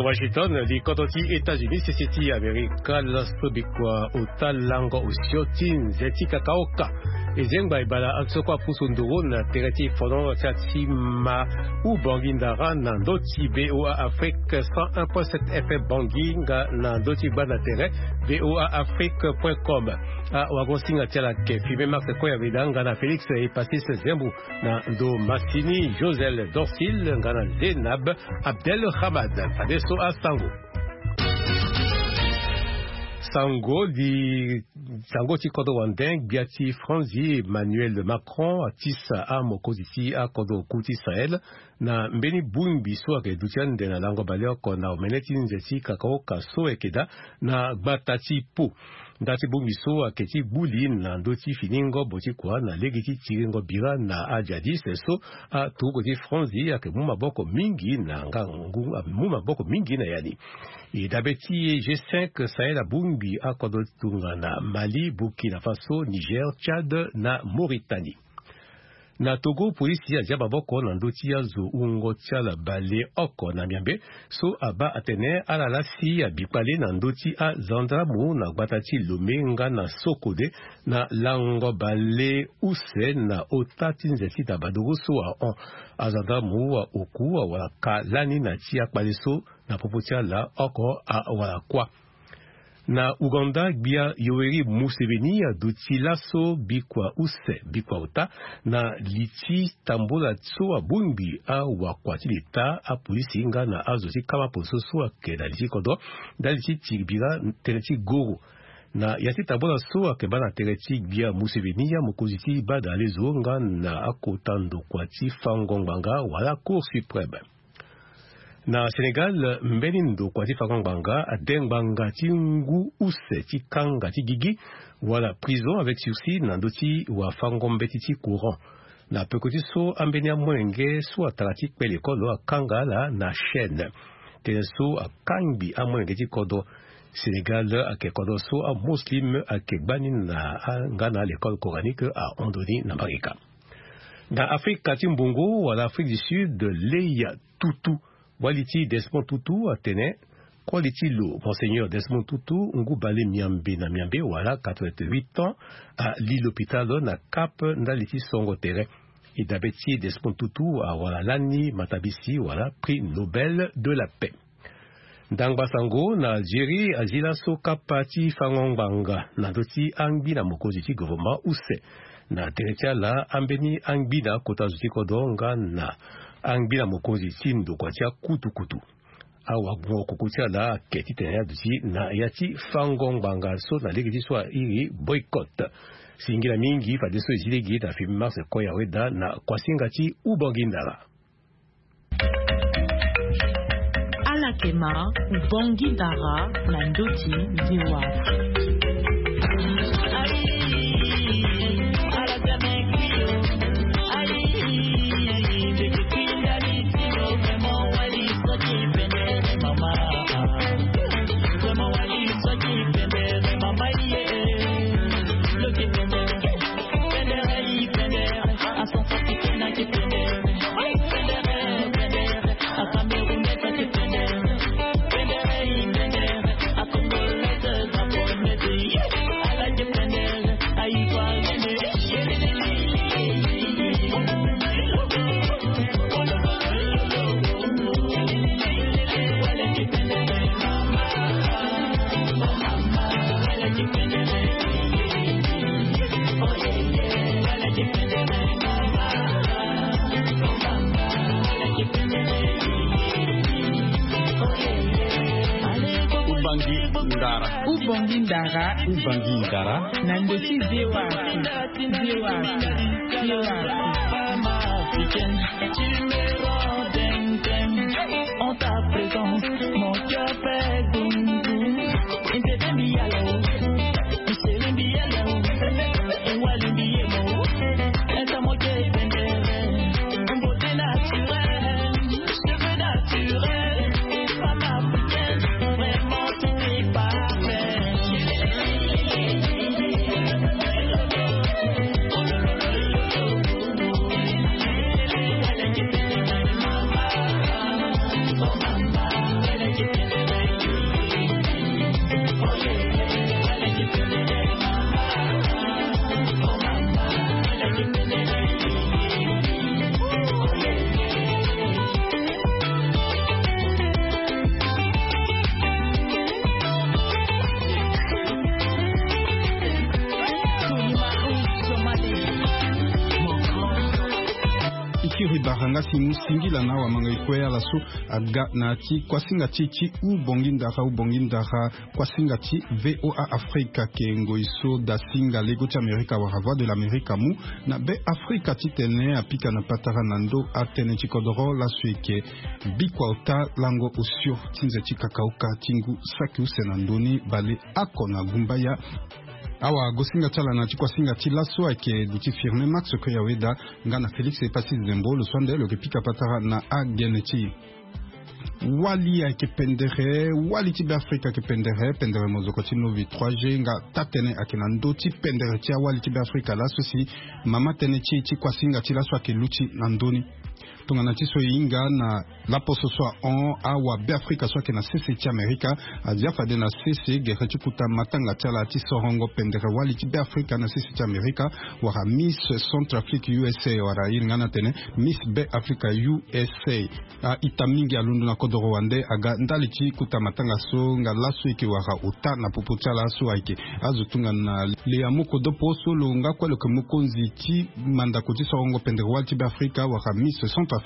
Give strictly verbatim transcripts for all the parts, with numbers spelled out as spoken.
Washington, li kodro ti États-Unis, sese ti Amerika, laso bikua ota lango osio ti nze ti kakaoka. E zengba e bala so kue apusu nduru na tere ti fono ti atima. Ou Bangui Ndara na ndö ti V O A Afrique cent un point sept F M Bangui, nga na ndö ti gbanda tere V O A Afrique point com. Awagosinga ti ala ayeke Fimé Max Koyaveda nga na Félix Epasis Zembu, na ndo masini Josel Dorsil nga na Zénab Abdelhamad. Fadeso asango. Sango di sango ti kodro wande, gbia ti Franzi Emmanuel Macron atisa amokonzi ti akodro oku ti Sahel na mbeni bongbi so ayeke duti ande na lango baleoko na omene ti nze ti kakaoka so ayeke daa na gbata ti Pau. Nda ti bongbi so ayeke ti gbu li na ndö ti fini ngobo ti kua na lege ti tiringo bira na ajadis so aturuku ti Franzi ayeke mu maboko mingi na nga ngu mu maboko mingi na ya ni. E dabe ti e G cinq Sahel abongbi akodro tongana Mali, Burkina Faso, Niger, Tchad na Mauritanie. Na Togo, polisi azia maboko na ndö ti azo wungo ti ala baleoko na miambe so abaa atene ala lasi abi kpale na ndö ti azandramu na gbata ti Lomé nga na Sokode na lango bale use na ota ti nze ti Dabadoro so ahon. Azandramu aoku awara ka lani na ti akpale so na popo ti ala oko awara kuâ. Na Ouganda, gbia Yoweri Museveni aduti laso bikua use bikua ota na li ti tambola so abongbi awakua ti leta, apolisi nga na azo ti kama poso so ayeke na li ti kodro ndali ti tiri bira tënë ti goro. Na ya ti tambola so ayeke baa na tere ti gbia Museveni, amokonzi ti baa na lezo nga na akota ndokua ti fango ngbanga wala Cour suprême. Na Sénégal, mbeni ndokua ti fango ngbanga ade ngbanga ti ngu use ti kanga ti gigi wala prison avec sursis na ndö ti wafango mbeti ti courant. Na peko ti so, ambeni amolenge so atara ti kpe lekolo akanga ala na chaîne. Tënë so akangbi amolenge ti kodro. Sénégal ayeke kodro so amuslim ayeke gbani na a- nga na alekole coranique ahon ndoni na Marika. Na Afrika ti mbongo wala Afrique du Sud, Leya Tutu, wali ti Desmond Tutu, atene koli ti lo, Monseigneur Desmond Tutu, ngu bale miambe na miambe wala quatre-vingt-huit ans, ali lopitalo na Cap ndali ti songo tere. E dabe ti Desmond Tutu awara lani matabisi wala Prix Nobel de la Paix. Ndangba sango na Algérie azi laso kapa ti fango ngbanga na ndö ti angbina mokonzi ti gouvernement use. Na tere ti ala, ambeni angbina kota zo ti kodro nga na angbina mokonzi ti ndokua ti akutukutu. Awagbongo koko ti ala ayeke titene aduti na ya ti fango ngbanga so na lege ti so airi boycott. Singila mingi fadeso e zi lege na Fimi Mars Koya Weda na kuasinga ti Ubongi Ndara. Ala yeke ma Ubongi Ndara na ndö ti V O A. Ubangi ndara. Ubangi ndara. Ubangi ndara. Na ndö ti V O A. V O A. V O A. Femme africaine, tu me rends dingue, dingue. En ta présence, mon cœur fait boum, boum. Paranga si mu singila na wamanga ikue ala so aga na ti kuasinga ti ti u bongi ndara u bongi ndara kuasinga ti VOA Afrika ke ngoi so da singa lego ti Amerika wala Voix de l'Amerique amu na be Afrika titene apika na patara na ndo atënë ti kodoro laso eke bikua ota lango osio ti nze ti kakaoka ti ngu saki use na ndoni bale ako na gumbaya. Awa gosinga ti ala na ti kuasinga ti laso ayeke duti firme Max Koyaweda nga na Félix Epassis Zembo lo so ande lo yeke pika patara na agene ti e. Wali ayeke pendere, wali ti Beafrika ayeke pendere, pendere mozoko ti novi trois G nga taa-tënë ayeke na ndö ti pendere ti awali ti Beafrika laso si mama tënë ti e ti kuasinga ti laso ayeke luti na ndö ni. Tongana ti so e hinga na laposo so ahon awabeafrika so ayeke na sese ti Amerika azia fade na sese gere ti kuta matanga ti ala ti sorongo pendere wali ti Beafrika na sese ti Amerika wala Miss Centrafrique U S A wala e hinga na tene Miss Beafrika U S A. A-ita mingi alondo na kodoro wande aga ndali ti kuta matanga so nga laso eke wara ota na popo ti ala so ayeke azo tongana Lea Mokodopo so lo nga kue lo yeke mokonzi ti mandako ti sorongo pendere wali ti Beafrika wala Miss Centrafrique.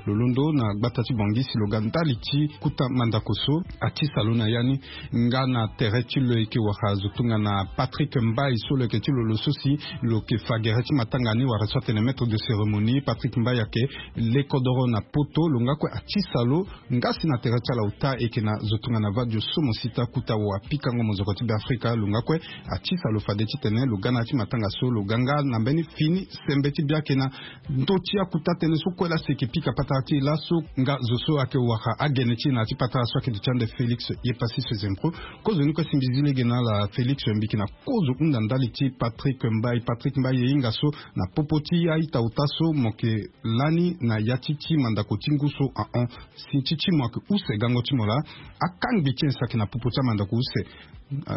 Lo londo na gbata ti Bangui si lo ga ndali ti kuta mandako so atisa lo na ya ni. Nga na tere ti lo yeke wara zo tongana Patrick Mbaye so lo yeke ti lo lo so si lo yeke fa gere ti matanga ni wala so atene maître de cérémonie. Patrick Mbaye ayeke le kodoro na poto lo nga kue atisa lo. Nga si na tere ti ala ota eke na zo tongana Vadio Somo Sita kuta wapikango mozoko ti Beafrika lo nga kue atisa lo fade titene lo ga na ya ti matanga so lo ga nga na mbeni fini sembe ti biake na ndö ti akuta tënë so kue laso eke pika patara ti e laso nga zo so ayeke wara agene ti e na ya ti patara so ayeke duti ande Félix Yepassis Zembo. Kozo ni kue si mbi zi lege na ala Félix mbi yeke na kozo hunda ndali ti Patrick Mbaye. Patrick Mbaye e hinga so na popo ti a-ita ota so mo yeke lani na ya ti ti mandako ti ngu so ahon. Si ti ti mo ayeke use gango ti mo laa akangbi ti nyen si ayeke na popo ti amandako use.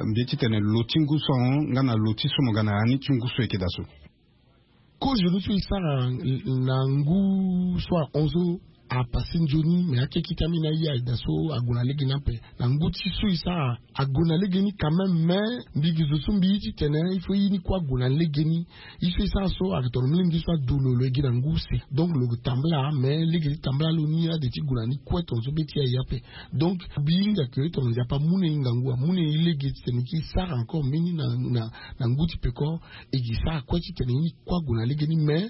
Mbi ye titene lo ti ngu so ahon nga na lo ti so mo ga na ya ni ti ngu so eke daa so. Kozo ni so e sara na ngu so ahon so apase nzoni me akeke ti ambeni aye daa so ague na lege ni ape. Na ngu ti so e sara ague na lege ni quand même mais mbi gi zo so mbi ye titene il faut ye ni kue ague na lege ni. Ye so e sara so ayeke tongana milenge so adu lo lo ye gi na ngu use. Donc lo yeke tambula mais lege ti tambula lo ni ade ti gue na ni kue tongana so be ti aye ape. Donc mbi hinga ke tongana nzapa amu na e ngangu amu na e lege titene e sara encore mbeni na na na ngu ti peko. E gi sara kue titene ye ni kue ague na lege ni mais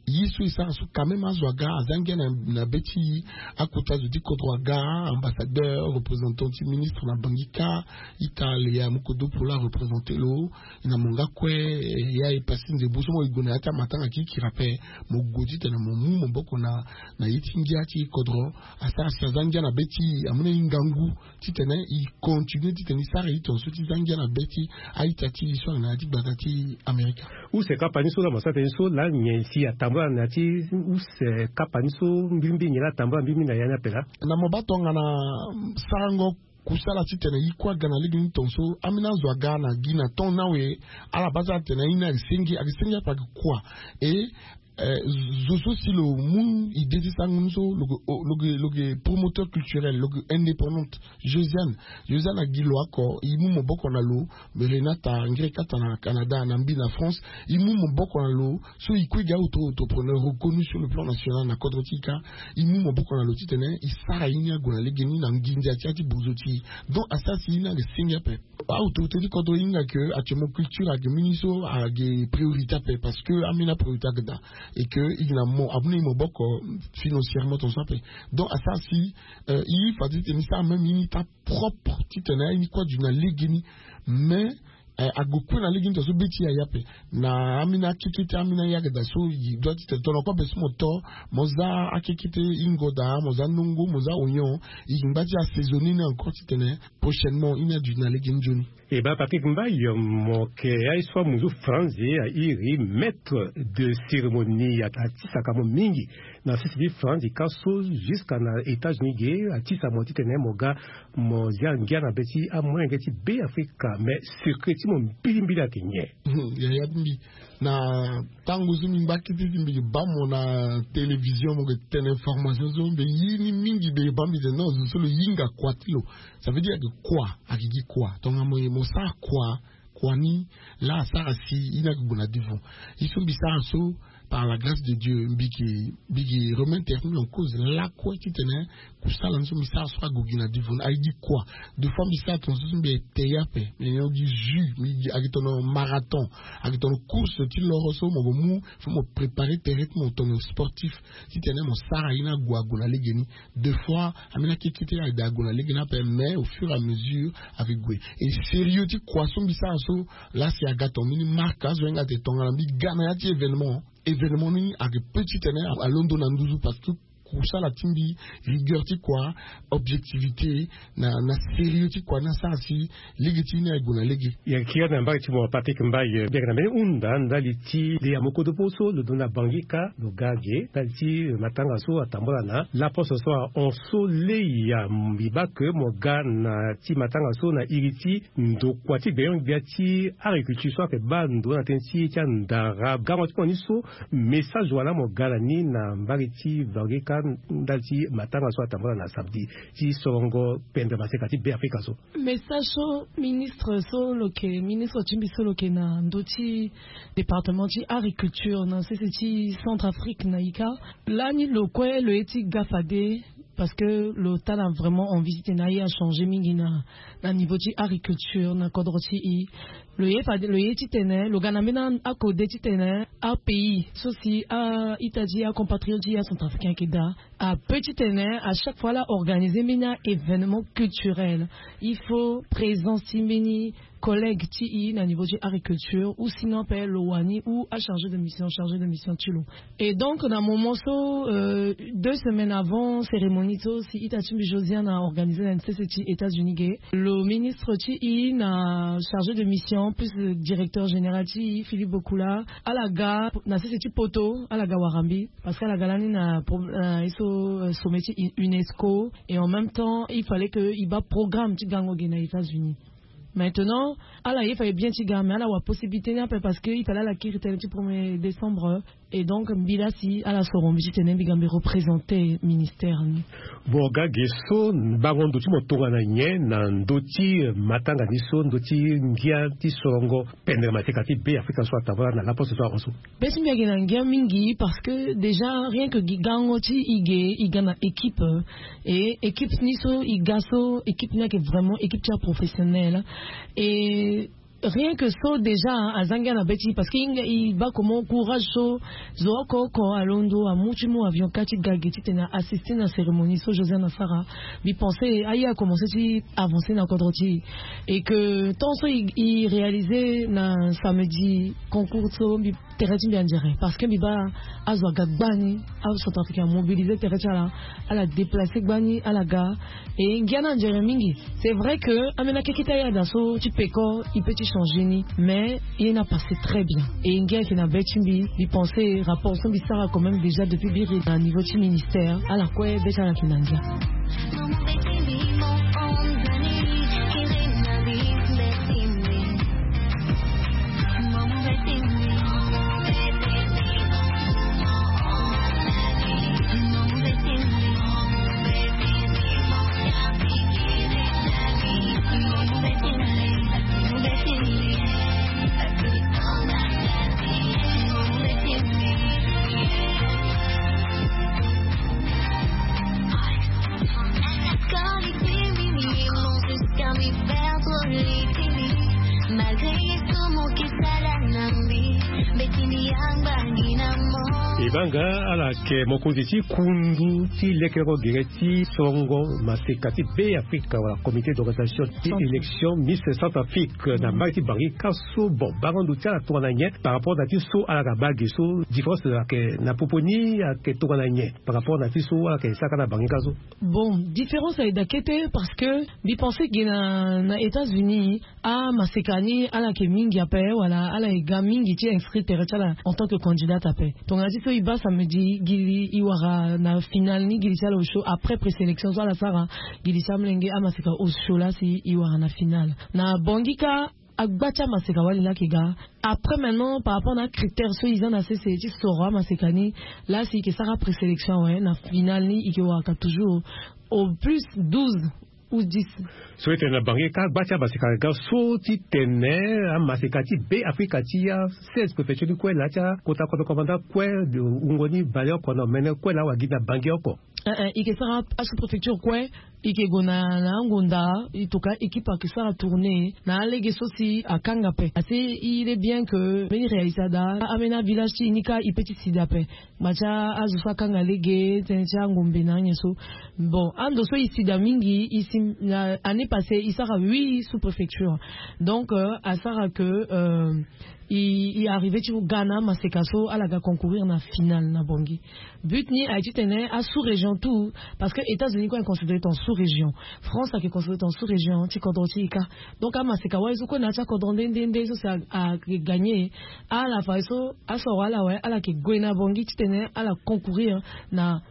ye so e sara so quand même azo aga aza ngia na na be ti akota zo ti kodro aga ambassadeur représentant ti ministre na Bangui kâ. Ita Lea Mokodopo la areprésente lo. Na mo nga kue ya e pasi nzembo so mo e gue na ya ti amatanga kirikiri ape. Mo gue titene mo mu maboko na na ye ti ngia ti kodro. Asara si aza ngia na be ti amu na e ngangu titene e continue titene e sara ye tongaso ti za ngia na be ti a-ita ti e so ayeke na ya ti gbata ti Amerika. Use kapa ni so laa mo sara tene so laa nyen si atambula na ya ti use kapa ni so mbirimbiri nyen laa atambula mbirimbiri na ya ni ape laa? Na mo baa tongana sarango kusala titene e kue aga na lege ni tongaso ambeni azo aga na gi na temps ni awe. Ala baa so atene aye ni ayeke senge ayeke senge ape ayeke kua. E zo so si lo mu ide ti sango ni so lo ke promoteur culturel lo ke indépendante. Josiane Josiane agi lo oko e mu maboko na lo. Renata ngiri kata na Canada na mbi na France. E mu maboko na lo so e kue gi auto entrepreneur reconnu sur le plan national na kodro ti e kâ. E mu maboko na lo titene e sara ye ni ague na lege ni na nginza ti ya ti bozo ti e. Donc asara si ye ni ayeke senge ape. Autorité ti kodro e hinga ke actuellement culture ayeke mbeni so ayeke priorité ape parce que ambeni apriorité ayeke daa. Et que e yeke na mo amu na e maboko financièrement tongaso ape. Donc asara si e fade titene e sara même ye ni taa propre titene aye ni kue aduti na lege ni. Mais ague kue na lege ni tongaso be ti e aye ape. Na ambeni akeke ti ambeni aye ayeke daa so e doit titene tongana kue be so mo to mo za akeke ti ingo daa mo za nongo mo za oignon. E yeke ngba ti assaisonner ni encore titene prochainement ye ni aduti na lege ni nzoni. E baa Patrick Mbaye, mo yeke aye so amu zo franzi airi maître de cérémonie atisaka mo mingi na sese ti franzi kâ so jusqu'à na États-Unis ge atisa mo titene mo ga mo zia ngia na be ti amolenge ti Beafrika. Mais secret ti mo mbilimbili ayeke nyen? Yaya ti mbi na tango so mbi ngba kete ti mbi yeke baa mo na télévision mo yeke tene information so mbi ye ni mingi mbi yeke baa mbi tene non zo so lo hinga kua ti lo. Ça veut dire ayeke kua ayeke gi kua tongana mo ye mo sara kua. Kua ni laa asara si ye ni ayeke gue na devant. Ye so mbi sara so par la grâce de Dieu, mbi ke mbi ke remettre en cause lakue titene kusala ni so mbi sara so ague gi na divo ni aye gi kua. De fois mbi sara tongaso so mbi ete ye ape, mbi nyon gi jus, mbi gi ake tono marathon, ake tono course ti loro so mo gue mu, fo mo préparer tere ti mo tono sportif titene mo sara ye ni ague ague na lege ni. De fois ambeni akekete ade ague na lege ni ape, mais au fur et à mesure ake gue. Et sérieux ti kua so mbi sara so, la si aga tonga mbeni marque azo hinga ate tongana mbi ga na ya ti événement. Événement ni ake pe titene alondo na nduzu parce que kusala ti mbi, rigueur ti kua, objectivité, na na sérieux ti kua ni asara si lege ti ni ague na lege. Ya kiri na mbage ti mo Patrick Mbaye, biaka na mbeni hunda ndali ti nde ya mokodo po so lo dunia bangi ka lo ga ge ndali ti matanga so atambula na laposo so ahon so lei ya mbi bake mo ga na ti matanga so na iri ti ndokua ti gbenyo-gbia ti agriculture so ayeke baa ndo na tënë ti ye ti andara gango ti mo ni so. Message wala mo ga na ni na mbage ti bangi ka ndali ti matanga so atambula na samedi ti sorongo pendre maseka ti be afrika so. Message so ministre so lo ke ministre ti mbi so lo ke na ndo ti département ti agriculture na sese ti centre afrique na ika. Lani lo kue lo ye ti ga fade parce que lo tana vraiment envie titene aye achanger mingi na na niveau ti agriculture na kodro ti i. Lo ye fade lo ye titene lo ga na mbeni akode titene apays so si a ita ti acompatriote ti acentrafricain ayeke daa ape titene à chaque fois ala organiser mbeni a événement culturel il faut présence ti mbeni collègue ti i na niveau ti agriculture ou sinon ape lo wani ou achargé de mission chargé de mission ti lo. Et donc na moment so deux semaines avant cérémonie so si ita ti mbi josiane a organiser na sese ti états-unis ge, lo ministre ti i na chargé de mission plus directeur général ti i philippe bokula ala ga na sese ti poto ala ga wara mbi. Parce que ala ga lani na ye so sommet ti unesco et en même temps il fallait que i baa programme ti gango ge na états-unis. Maintenant ala ye fallait bien ti ga mais ala wa possibilité ni ape parce que il fallait ala kiri tënë ti premier décembre. Et donc mbi laa si ala soro mbi titene mbi ga mbi représenter ministère ni. Bon ga ge so bango ndo ti mo tongana nyen na ndo ti matanga ni so ndo ti ngia ti sorongo pendre mateka ti be afrika so atambula na laposo so ahon so? Be ti mbi ayeke na ngia mingi parce que déjà rien que gi gango ti i ge i ga na équipe. Et équipe ni so i ga so équipe ni ayeke vraiment équipe ti aprofessionnel. Et rien que so déjà aza ngia na be ti i parce que i baa comment courage so zo oko oko alondo amu ti mu avion ka ti ga ge titene a assister na cérémonie so josiane asara. Mbi pense aye akomencer ti avancer na kodro ti i. Et que temps so i réaliser na samedi concours so mbi tere ti mbi anzere parce que mbi baa azo aga gbani. Acentrafricain amobiliser tere ti ala ala déplacer gbani ala ga. Et ngia ni anzere mingi. C'est vrai que ambeni akeke ti ayada so ti peko i pe ti changer ni mais ye ni apasse très bien. Et ngia ayeke na be ti mbi mbi pense rapport so mbi sara quand même déjà depuis biri na niveau ti ministère ala kue be ti ala ayeke na ngia. E baa nga ala yeke mokonzi ti kundu ti lekeleko gere ti sorongo maseka ti be afrika wala comité d'organisation ti élection miss centre afrique na mbage ti bangi ka so bon bango ndo ti ala tongana nyen par rapport na ti so ala yeke baa ge so différence ayeke na popo ni ayeke tongana nyen par rapport na ti so ala yeke sara ka na bangi ka so? Bon différence ayeke daa kete parce que mbi pense ge na états-unis amaseka ni ala yeke mingi ape wala ala yeke ga mingi ti inscrit tere ti ala en tant que candidate ape. Tongana ti so e baa samedi gi li e wara na finale ni gi li ti ala osio après présélection so ala sara gi li ti amolenge amaseka osio laa si e wara na finale. Na bongi ka agba ti amaseka wali laa ayeke ga. Après maintenant par rapport na acritère so e za na sese ti soro amaseka ni laa si e yeke sara présélection awe na finale ni e yeke waraka toujours au plus douze. Ou dix. So ete na bange ka gba ti amaseka ga so ti tene amaseka ti be afrika ti ya seize préfecture ni kue na ya ti akota kodro komanda kue. Wungo ni baleoko na omene kue na awagi na bange oko. Eh, eh, i ke sara asous préfecture kue. I ke gue na na angonda. I toka équipe ake sara tourner na alege so si akanga pe ase. Il est bien que mbeni réalisada amena village ti i ni ka i pe ti sida pe. Macha azo so akanga lege tene ti angombe na anyen so. Bon, ando so i sida mingi i si na année passée i sara huit sous préfecture. Donc euh, asara que euh, i, i arrivé ti ga na maseka so ala ga concourir na finale na bangi. But ni aye ti tene a sous région tout. Parce que états-unis kue est considéré en sous région. France ake considéré en sous région ti kodro ti i ka. Donc amaseka wali so kue na ya ti akodro nde nde nde so si a, a gagné. Ala fa so asoro ala wali ala ke gue na bangi ti tene ala concourir na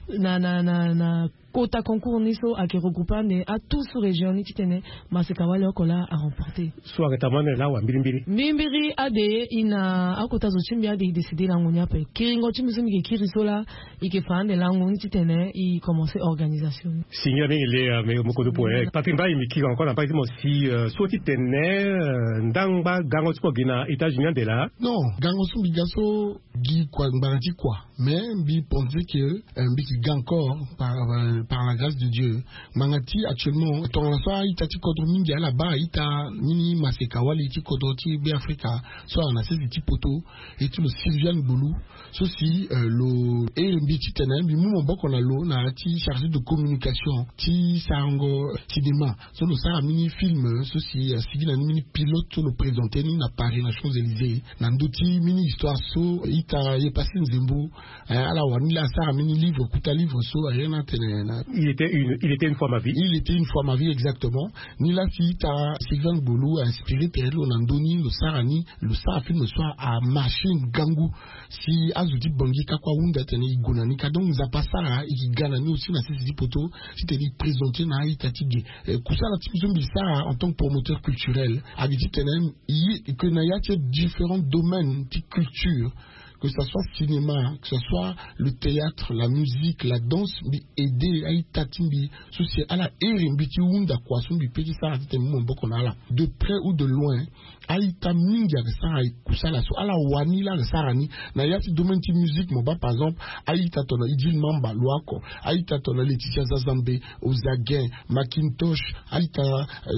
na na na na kota concours ni so ake regroupe ande a tout sous région ni ti tene maseka wali oko la a remporter. So ake tamane la wa mbirimbiri mbirimbiri ade i na akota zo ti mbi ade i décide lango ni ape kiringo ti mbi so mbi ke kiri so la. I ke fa ande lango ni ti tene i commencer organisation ni. Singia mingi le mais mokodo po eh patri mbai mbi kiri encore na mbai ti mo si so ti tene ndangba gango ti mo gi na états-unis ande la. Non, gango so mbi ga so gi kua ngbanga ti kua. Mais mbi pense que euh, mbi ki ga encore par, euh, par la grâce de dieu. Ngbanga ti actuellement tongana so a-ita ti kodro mingi ala baa ita mini maseka wali ti kodro ti be afrika so ala na sese ti poto. Et ti lo sylviane gbolu so si euh, lo ere mbi ti tene mbi mu maboko na lo na ya ti chargé de communication ti sarango cinéma so lo sara mini film so si asigi na ni mini pilote so lo présente ni na paris na champs élysées na ndö ti mini histoire so ita ye pasi nzembo. Ala wani la asara mini livre kuta livre so aye na tene na il était une fois ma vie. Il était une fois ma vie exactement. Ni la si ita sylvain gbolu a inspiré tere ti lo na ndö ni lo sara ni lo sara film so amarché ngangu. Si azo ti bangi ka kue ahunda tene e gue na ni ka donc nzapa asara e ke ga na ni aussi na sese ti poto titene e présente na a-ita ti ge. Kusala ti mbi so mbi sara en tant que promoteur culturel agi titene ye ke na ya ti différents domaines ti culture, que ça soit cinéma, que ça soit le théâtre, la musique, la danse, mbi aide a-ita ti mbi so si ala ere mbi ti hunda kua so mbi pe ti sara titene mbi mu maboko na ala de près ou de loin. A-ita mingi ake sara kusala so ala wani la ake sara ni. Na ya ti domaine ti musique mo baa par exemple a-ita tongana idil mamba lo oko, a-ita tongana laetitia zazambe, ozagen, macintosh, a-ita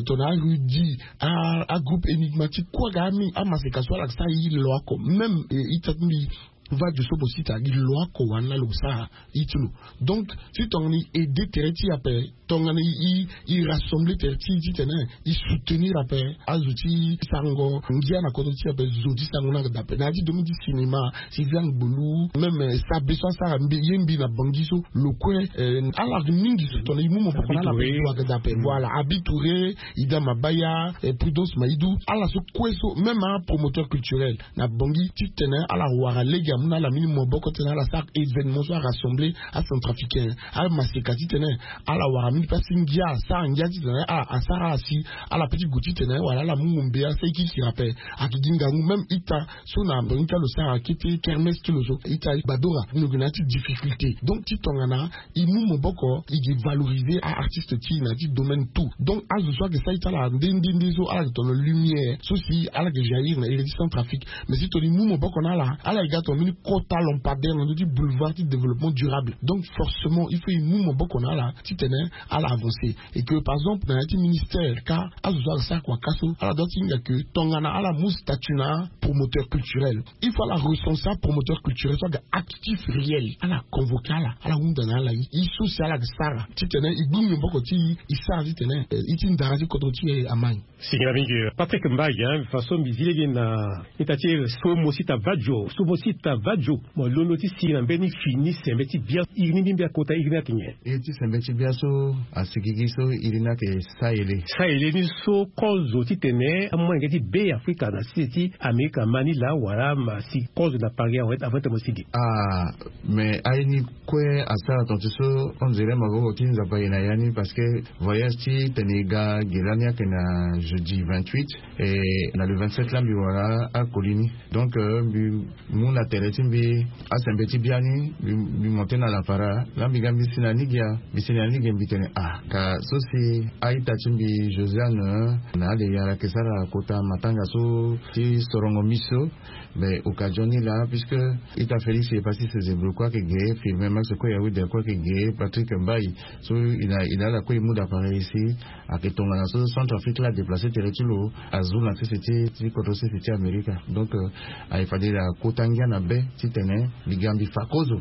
tongana arudi, agroupe énigmatique kue aga mingi amaseka so ala ake sara ye lo oko même. Ita ti mbi vadio so mo sita gi lo oko wani la lo sara ye ti lo. Donc si tongana i aide tere ti i ape tongana i rassembler tere ti i titene i soutenir ape azo ti sarango ngia na kodro ti i ape zo ti sarango ni aga daa ape na ya ti domaine ti cinéma. Sylviane gbolu même sabe so asara mbi ye mbi na bangi so lo kue. Ala mingi so tongana i mu maboko na ala ape zo aga daa ape voilà abi touré, ida mabaya, prudence maidou ala so kue so même apromoteur culturel na bangi titene ala wara lege amu na ala mini maboko titene ala sara événement so arassembler acentrafricain. Amaseka titene ala wara mini pasi ngia asara ngia titene ala asara ala si ala pe ti gue titene wala ala mu ngombe asara e kiri kiri ape. Ake gi ngangu même ita so na bangi ti ala lo sara akete kermesse ti lo so ita gbadora lo gue na ya ti difficulté donc ti tongana i mu maboko i gi valoriser a-artiste ti i na ya ti domaine tout. Donc azo so ake sara ita ala nde nde nde so ala gi tongana lumière so si ala gi jaillir na iri ti centrafrique. Mais si tongana i mu maboko na ala ala gi ga tongana mbeni kota lampadaire na ndö ti boulevard ti développement durable donc forcément il faut i mu maboko na ala titene ala avancer. Et que par exemple na ya ti ministère ka azo so ala sara kua ka so ala doit ti hinga que tongana ala mu statut na promoteur culturel il faut ala recenser apromoteur culturel so aga actif réel ala convoquer ala ala hunda na ala ye so si ala aga sara titene e gbu maboko ti e e sara titene ye ti ndara ti kodro ti e amagne. Singila mingi. Patrick mbai hein façon mbi zi lege na ita ti e so mo sita vadio so mo sita vadio mo londo ti si na mbeni fini sembe ti bia iri ni mbi mbi akota iri ni ake nyen? Iri ti sembe ti bia so asigigi so iri ni ake sahele. Sahele ni so kozo titene amolenge ti be afrika na sese ti amerika ma ni laa wala ma si kozo na paris awe avant ti mo sigi? Ah mais aye ni kue asara tonga ti so on dirait maboko ti nzapa aye na ya ni parce que voyage ti tene e ga ge lani ake na jeudi vingt-huit. Et na le vingt-sept laa mbi wara akoli ni donc mbi mu na tere Ti mbi, asembe ti biani mbi, mbi monte na lapara la, mbi ga mbi si na nigia, mbi si na nigia, mbi tene ah, ka so si a-ita ti mbi Josiane na ale yara ke sara kota matanga so ti sorongo miso. Mais occasion ni laa, puisque ita Félix Epassis Ezebro kue ayeke ge, Firmin Max kue, Yawid kue ayeke ge, Patrick Mbaye, so i na, i na ala kue i mu da pareil si ayeke tongana so Centrafrique la adeplace tere ti lo azu na sese ti, ti kodro sese ti Amerika. Donc euh, aye fade akota ngia na be titene mbi ga mbi fa kozo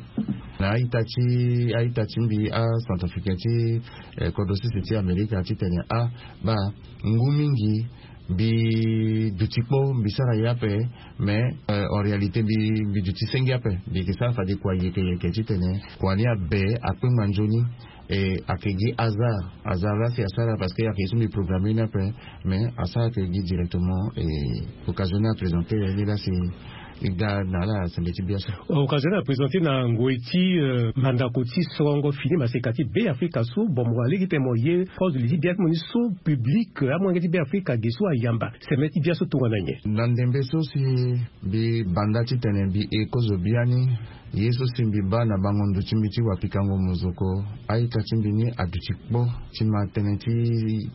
na a-ita ti, a-ita ti mbi aCentrafricain ti eh, kodro sese ti Amerika titene ah, baa, ngu mingi mbi duti kpo, mbi sara ye ape. Mais euh, en réalité mbi, mbi duti senge ape. Mbi yeke sara fade kua yeke yeke titene kua ni abe akpengba nzoni. E ayeke gi hasard, hasard la si asara parce que ayeke ye so mbi programme ni ape. Mais asara ayeke gi directement. E occasion ni aprésenté ni la si e ga na ala sembe ti bia so. Occasion ni aprésenté na ngoi ti euh, mandako ti sorongo fini maseka ti Beafrika so. Bon, mo wara lege tene mo ye kozo li ti bia ti mo ni so public, amolenge ti Beafrika ge so ayamba sembe ti bia so tongana nyen? Na ndembe so si mbi banda titene mbi e kozo biani, ye so si mbi baa na bango ndo ti mbi ti wapikango mozoko, a-ita ti mbi ni aduti kpo ti ma tënë ti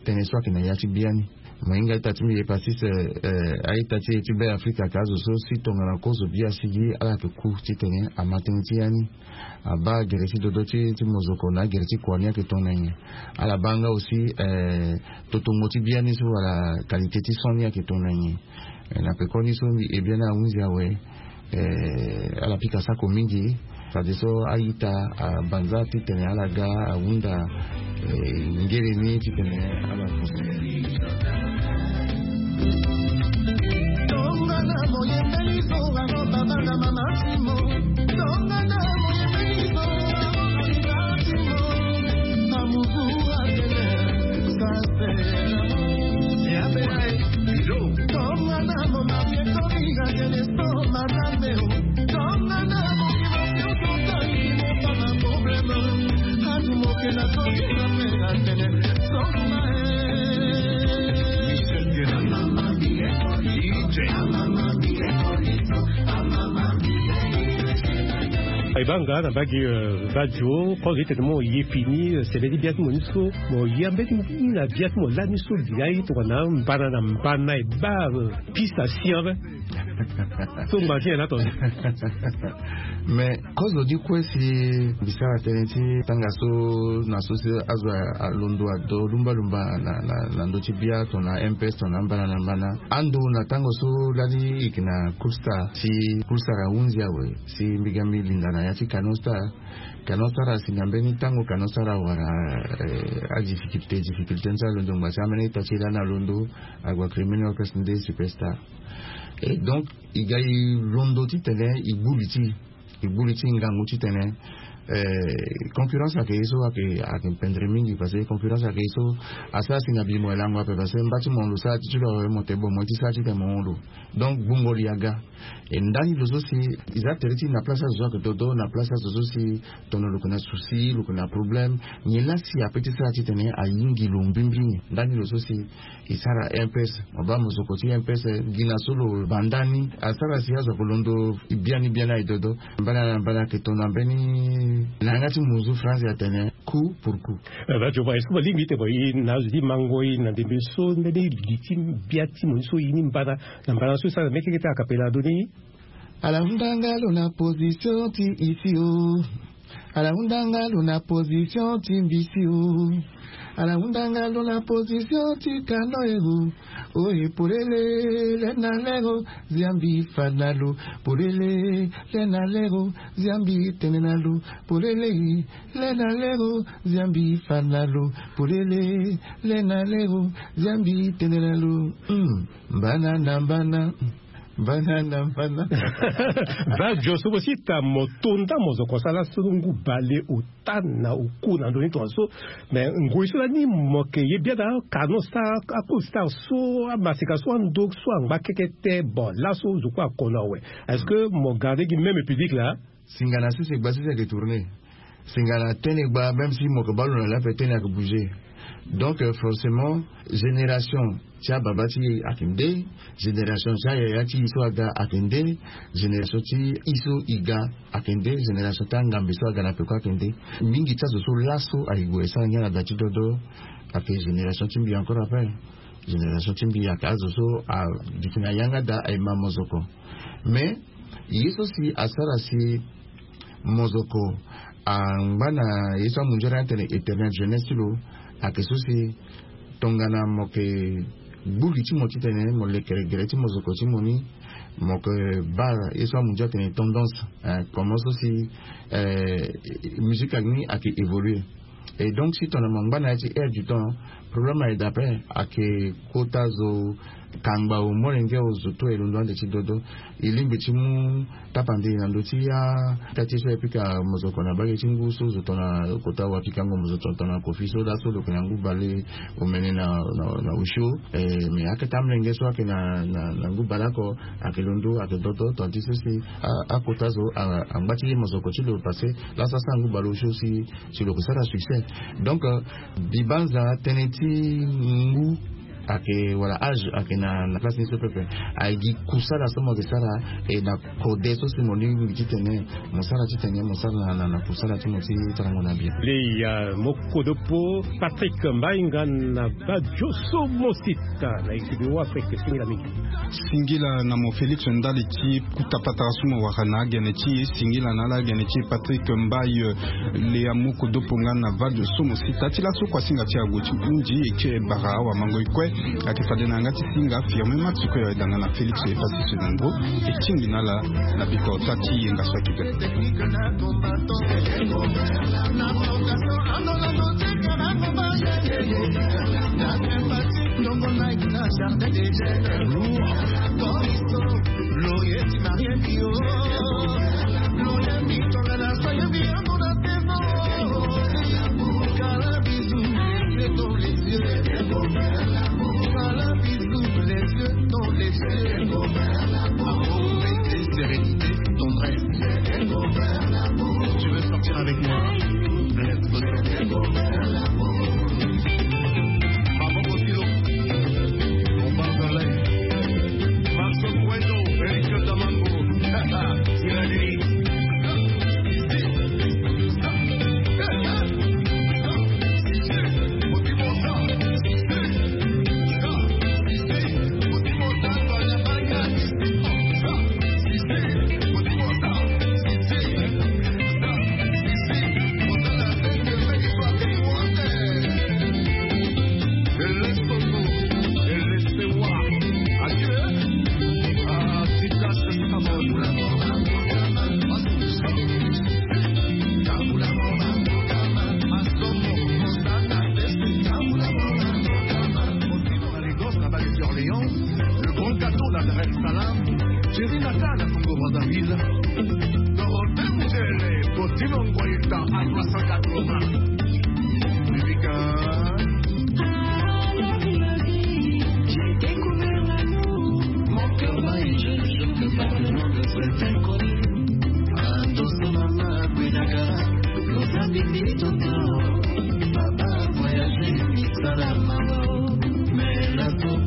tënë so ayeke na ya ti biani. Mo hinga a-ita ti mbi Epassis, eh, a-ita ti e ti Beafrika ayeke azo so si tongana kozo bia asigi, ala yeke ku titene ama tënë ti ya ni. Abaa gere ti dodo ti, ti mozoko na agere ti kua ni ayeke tongana nyen. Ala baa nga aussi eh, totongo ti bia ni so wala qualité ti son ni ayeke tongana nyen. Eh, na pekoni so mbi e bia ni ahunzi awe. Eh, ala pika sako mingi. Fadeso a-ita abanza titene ala ga ahunda eh, ngere ni titene ala. Ebanga na mbage, eh, radio kozo ti tene mo ye fini, eh, sebe ti bia ti mo ni so, mo ye ambeti mo fini na bia ti mo lani so. Bia ye tongana mbana na mbana e baa, eh, piste asi en ve. So ngba ti nyen na tonga? Mais kozo ni kue si mbi sara tënë ti tanga so na so si azo alondo ado lumba lumba na, na, na ndö ti bia tongana M P S tongana mbana na mbana. Ando na tango so lani e yeke na Cool Star si Cool Star ahunzi awe si mbi ga mbi linda na ya ti Canon Star. Canon Star asi na mbeni tango Canon Star awara, eh, adifficulté, difficulté ni so alondo ngba si ambeni ita ti e lani alondo, ague akiri mbeni orchestre nde Superstar. Et donc e ga e londo titene e gbu li ti e, e gbu li ti e ngangu titene, eh, concurrence ayeke ye so ayeke, ayeke pendere mingi parce que concurrence ayeke ye so asara si na bi mo e lango ape parce que mba ti mo lo sara ti ti lo awe mo te bon mo ye ti sara titene mo hon lo. Donc gbungo li aga. E ndani lo so si e za tere ti e na place azo so ayeke dodo, na place azo so si tongana lo yeke na souci, lo yeke na problème, nyen la si ape ti sara titene ayingi lo mbimbini. Ndani lo so si e sara M P S, mo baa mozoko ti M P S gi na so lo banda ni asara si azo ayeke londo biani biani aye dodo. Mbana na mbana ayeke tongana mbeni na yanga ti muzu France atene coup pour coup. Eh, ba jo ba, est-ce que ba lingbi ti tene ba e na azo ti mango e na ndembe so mbeni li ti bia ti mo ni so e ni mbana na mbana so e sara na mekeke ti akapela ado ni. Ala hunda nga lo na position ti e si o. Ala hunda nga lo na position ti mbi si o. Ala hunda nga lo na position ti kano e o. Oye polele, le na lero, ziambi fa na lo. Polele, le na lero, ziambi tene na lo. Polele, le na lero, ziambi fa na lo. Polele, le na lero, ziambi tene na lo. Hmm. Mbana na mbana. Mbana na mbana. Ba jo so mo si ta mo tonda mo zo ko sala so ngu bale o ta na oku na ndo ni tonga so. Mais ngoi so lani mo ke ye bia na kano sa a Cool Star so amaseka so ando so angba keke te. Bon, laso zo kue akono awe. Est-ce que mo garde gi même public la? Singa na sese gba sese ayeke tourner. Singa na tene gba, même si mo yeke baa lo na lape tene ayeke bouger. Donc forcément, génération ti ababa ti e ayeke nde, génération ti ayaya ti e so aga ayeke nde, génération ti e so e ga ayeke nde, génération ti angambe so aga na peko ayeke nde. Mingi ti azo so laso ayeke gue e sara ngia na da ti dodo, ayeke génération ti mbi encore après. Génération ti mbi ayeke azo so agiti na yanga da aye ma mozoko. Mais ye so si asara si mozoko angba na ye so amunzu ala atene éternel jeunesse ti lo, ayeke so si tongana mo yeke gbu li ti mo titene mo lekere gere ti mozoko ti mo ni, mo yeke baa ye so amunzu atene tendance. Comment so si musique ni ayeke évoluer. Et donc si tongana mo ngba na ya ti air du temps, problème ayeke daa ape. Ayeke kota zo kangba o molenge o zo to e londo ande ti dodo. E lingbi ti mu tapande na ndö ti ya ka ti so e pika mozoko na bage ti ngu so zo tongana kota wa pikango mozoko tongana kofi so laso lo yeke na ngu bale omene na na na osio. Mais akete amolenge so ayeke na na ngu bale oko ayeke londo ayeke dodo tongana ti so si akota zo angba ti ye mozoko ti lo parce que laso asara ngu bale osio si si lo yeke sara succès. Donc mbi banza tënë ti ngu ayeke wala âge ayeke na place ni so pepe. Aye gi kusala so mo yeke sara e na kode so si mo lingbi titene mo sara titene mo sara na na kusala ti mo ti tarango na bien. Leya mo kodopo Patrick Mbainga na badio so mo sita na ekibi wa afrique singila mingi. Singila na mo Félix ndali ti kuta patara so mo wara na agene ti e singila na ala agene ti e Patrick Mbaye. Leya mo kodopo nga na vadio so mo sita ti laso kua singa ti ague ti hundi e ti e bara awamango e kue. Ayeke fade na yanga ti singa firme max kue awe danga na Félix e pasi se na ngu e tingbi na ala na bikota ti yenga so ayeke be. Sérénité, tendresse. Tu veux sortir avec moi? Let's go. Bravo, Botilo. On parle de l'air. Marco Cuento, Eric Damango. Sierra Leone. Lagos, là-bas, les Orléans, le grand gâteau, la Dar es Salaam, Jerry Nathan, la Congo Brazzaville, Dorothée Mugele, Botino Nguaita, à trois cent quatre-vingts. Musica. J'ai découvert l'amour, mon cœur bat et je ne joue que par le nom de cet inconnu. Andoso mama, Guinagara, Rosa Bibi, Toto, Baba, voyager, Mixala, Mama, mais la pauvre.